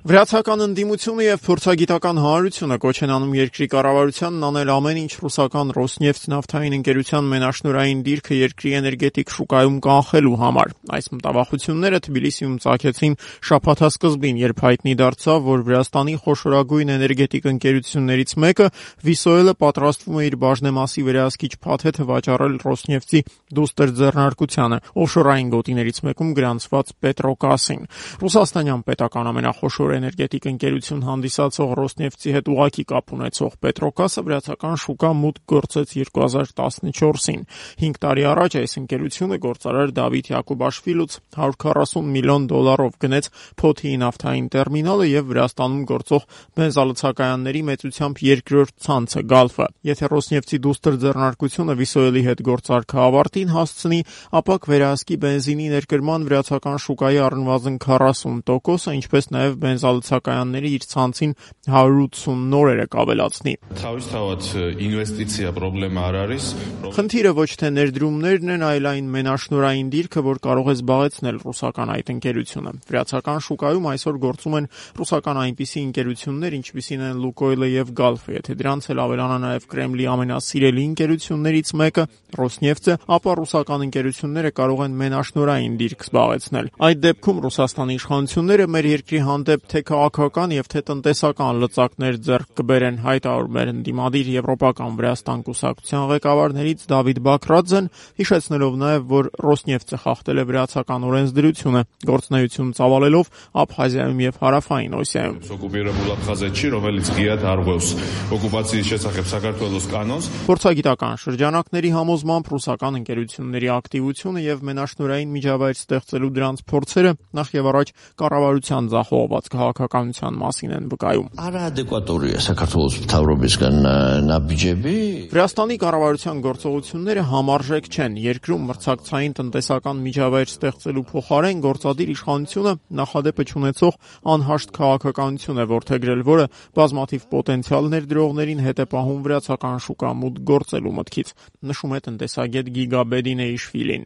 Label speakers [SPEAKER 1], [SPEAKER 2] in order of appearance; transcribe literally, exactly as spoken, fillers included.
[SPEAKER 1] Վրացական ընդդիմությունը եւ փորձագիտական հանրությունը կոչ են անում երկրի կառավարությանն անել ամեն ինչ ռուսական «Ռոսնեֆթ» նավթային ընկերության մենաշնորհային դիրքը երկրի էներգետիկ շուկայում կանխելու համար։ Այս մտավախությունները Թբիլիսիում ծագեցին շաբաթասկզբին, երբ հայտնի դարձավ, որ Վրաստանի խոշորագույն էներգետիկ ընկերություններից մեկը՝ Վիսոելը, պատրաստվում է իր բաժնեմասի վերահսկիչ փաթեթը վաճառել «Ռոսնեֆթ»-ի դուստր ձեռնարկությանը, օֆշորային գոտիներից մեկում գրանցված Պետրոկասին։ Ռուսաստանյան պետական ամենախոշոր էներգետիկ ընկերություն հանդիսացող «Ռոսնեֆթ»-ի հետ ուղղակի կապ ունեցող Պետրոկասը վրացական շուկա մուտք գործեց երկու հազար տասնչորսին։ Հինգ տարի առաջ այս ընկերությունը գործարար Դավիթ Յակուբաշվիլուց հարյուր քառասուն միլիոն դոլարով գնեց Փոթիի նավթային տերմինալը եւ Վրաստանում գործող բենզալցակայանների մեծությամբ երկրորդ ցանցը՝ Գալֆը։ Եթե «Ռոսնեֆթ»-ի դուստր ձեռնարկությունը Վիսոելի հետ գործարքը ավարտին հասցնի, ապա կվերահսկի բենզինի ներկրման վրացական շուկայի առնվազն քառասուն տոկոսը, ինչպես նաեւ բենզալցակայանների իր ցանցին հարյուր ութսուն նորերը կավելացնի։ Խնդիրը ոչ թե ներդրումներն են, այլ այն մենաշնորհային դիրքը, որ կարող է զբաղեցնել ռուսական այդ ընկերությունը։ Վրացական շուկայում այսօր գործում են ռուսական այնպիսի ընկերություններ, ինչպիսին են Լուկոյլը եւ Գալֆը։ Եթե դրանց էլ ավելանա նաեւ Կրեմլի ամենասիրելի ընկերություններից մեկը՝ «Ռոսնեֆթ»-ը, ապա ռուսական ընկերությունները կարող են մենաշնորհային դիրք զբաղեցնել։ Այդ դեպքում Ռուսաստանի իշխանությունները մեր երկրի հանդեպ թե քաղաքական եւ թե տնտեսական լծակներ ձեռք կբերեն, հայտարարում էր ընդդիմադիր Եվրոպական Վրաստան կուսակցության ղեկավարներից Դավիթ Բաքրաձեն, հիշեցնելով նաեւ, որ «Ռոսնեֆթ»-ը խախտել է վրացական օրենսդրությունը, գործունեություն ծավալելով Աբխազիայում եւ Հարավային Օսիայում։ Փորձագիտական շրջանակների համոզմամբ ռուսական ընկերությունների ակտիվությունը եւ մենաշնորհային միջավայր ստեղծելու դրանց փորձերը նախ եւ առաջ կառավարության ձախողված քաղաքականության մասին են վկայում։ Վրաստանի կառավարության գործողությունները համարժեք չեն։ Երկրում մրցակցային տնտեսական միջավայր ստեղծելու փոխարեն գործադիր իշխանությունը նախադեպը չունեցող անհաշտ քաղաքականություն է որդեգրել, որը բազմաթիվ պոտենցիալ ներդրողներին հետ է պահում վրացական շուկա մուտք գործելու մտքից, նշում է տնտեսագետ Գիգա Բեդինեիշվիլին։